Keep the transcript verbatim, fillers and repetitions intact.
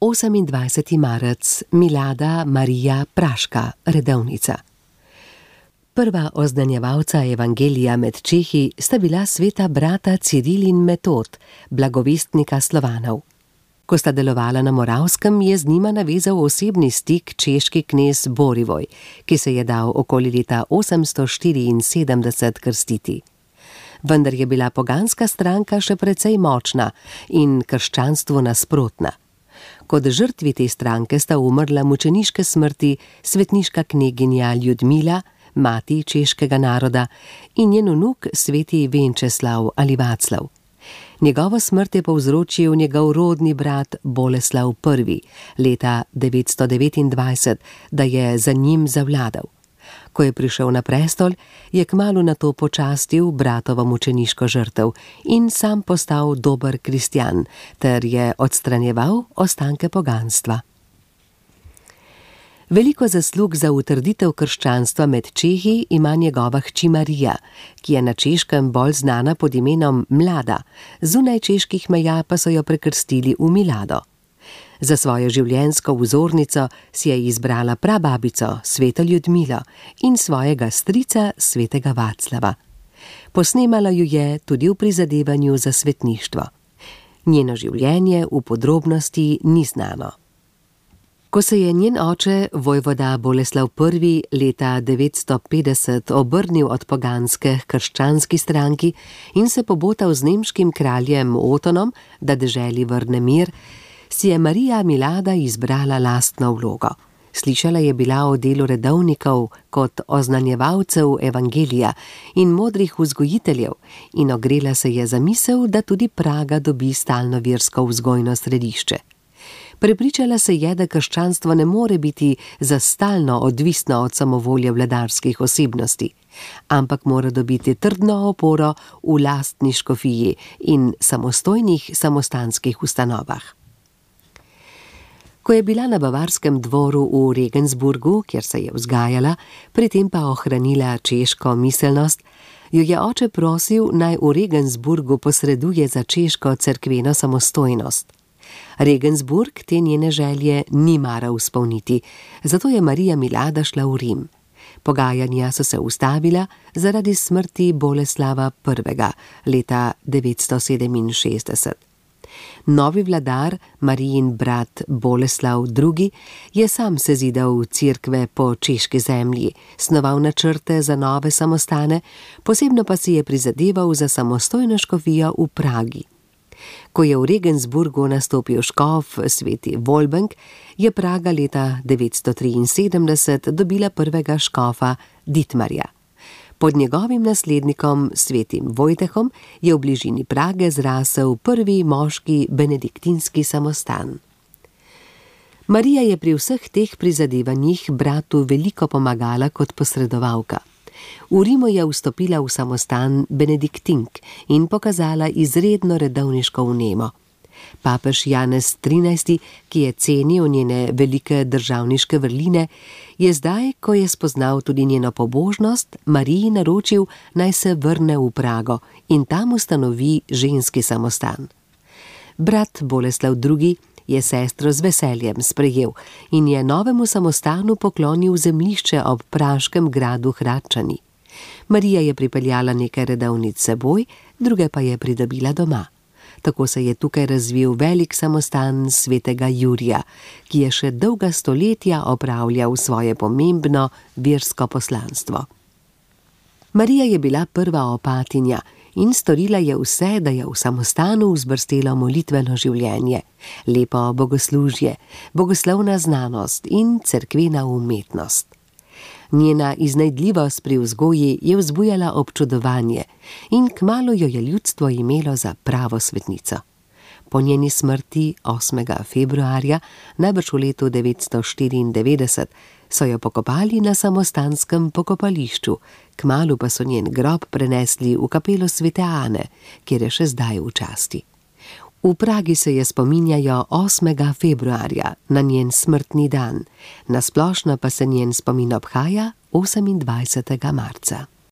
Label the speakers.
Speaker 1: osemindvajseti marec, Milada Marija Praška, redovnica. Prva oznanjevalca evangelija med Čehi sta bila sveta brata Ciril in Metod, blagovestnika Slovanov. Ko sta delovala na Moravskem, je z njima navezal osebni stik češki knez Borivoj, ki se je dal okoli leta osemsto štiriinsedemdeset krstiti. Vendar je bila poganska stranka še precej močna in krščanstvu nasprotna. Kot žrtvi te stranke sta umrla mučeniške smrti svetniška kneginja Ljudmila, mati češkega naroda, in njen vnuk sveti Venčeslav ali Vaclav. Njegovo smrt je povzročil njegov rodni brat Boleslav Prvi leta devetsto devetindvajset, da je za njim zavladal. Ko je prišel na prestol, je kmalu nato počastil bratovo mučeniško žrtev in sam postal dober kristjan, ter je odstranjeval ostanke poganstva. Veliko zaslug za utrditev krščanstva med Čehi ima njegova hči Marija, ki je na Češkem bolj znana pod imenom Mlada, zunaj čeških meja pa so jo prekrstili v Milado. Za svojo življenjsko vzornico si je izbrala prababico, sveto Ljudmilo, in svojega strica, svetega Vaclava. Posnemala ju je tudi v prizadevanju za svetništvo. Njeno življenje v podrobnosti ni znano. Ko se je njen oče, vojvoda Boleslav Prvi, leta devetsto petdeset obrnil od poganske k krščanski stranki in se pobotal z nemškim kraljem Otonom, da deželi vrne mir, si je Marija Milada izbrala lastno vlogo. Slišala je bila o delu redovnikov kot oznanjevalcev evangelija in modrih vzgojiteljev in ogrela se je za misel, da tudi Praga dobi stalno versko vzgojno središče. Prepričala se je, da krščanstvo ne more biti za stalno odvisno od samovolje vladarskih osebnosti, ampak mora dobiti trdno oporo v lastni škofiji in samostojnih samostanskih ustanovah. Ko je bila na bavarskem dvoru v Regensburgu, kjer se je vzgajala, pri tem pa ohranila češko miselnost, jo je oče prosil, naj v Regensburgu posreduje za češko cerkveno samostojnost. Regensburg te njene želje ni maral izpolniti, zato je Marija Milada šla v Rim. Pogajanja so se ustavila zaradi smrti Boleslava Prvega leta devetsto sedeminšestdeset. Novi vladar, Marijin brat Boleslav Drugi, je sam sezidal cerkve po češki zemlji, snoval načrte za nove samostane, posebno pa si je prizadeval za samostojno škofijo v Pragi. Ko je v Regensburgu nastopil škof sveti Volbenk, je Praga leta devetsto triinsedemdeset dobila prvega škofa Ditmarja. Pod njegovim naslednikom, svetim Vojtehom, je v bližini Prage zrasel prvi moški benediktinski samostan. Marija je pri vseh teh prizadevanjih bratu veliko pomagala kot posredovalka. V Rimu je vstopila v samostan benediktink in pokazala izredno redovniško vnemo. Papež Janez trinajsti, ki je cenil njene velike državniške vrline, je zdaj, ko je spoznal tudi njeno pobožnost, Mariji naročil, naj se vrne v Prago in tam ustanovi ženski samostan. Brat Boleslav Drugi je sestro z veseljem sprejel in je novemu samostanu poklonil zemljišče ob praškem gradu Hradčani. Marija je pripeljala nekaj redovnic seboj, druge pa je pridobila doma. Tako se je tukaj razvil velik samostan svetega Jurija, ki je še dolga stoletja opravljal svoje pomembno versko poslanstvo. Marija je bila prva opatinja in storila je vse, da je v samostanu vzbrstelo molitveno življenje, lepo bogoslužje, bogoslovna znanost in cerkvena umetnost. Njena iznajdljivost pri vzgoji je vzbujala občudovanje in kmalu jo je ljudstvo imelo za pravo svetnico. Po njeni smrti osmega februarja, najbrž v letu devetsto štiriindevetdeset, so jo pokopali na samostanskem pokopališču, kmalu pa so njen grob prenesli v kapelo svete Ane, kjer je še zdaj v časti. V Pragi se je spominjajo osmega februarja, na njen smrtni dan, na splošno pa se njen spomin obhaja osemindvajsetega marca.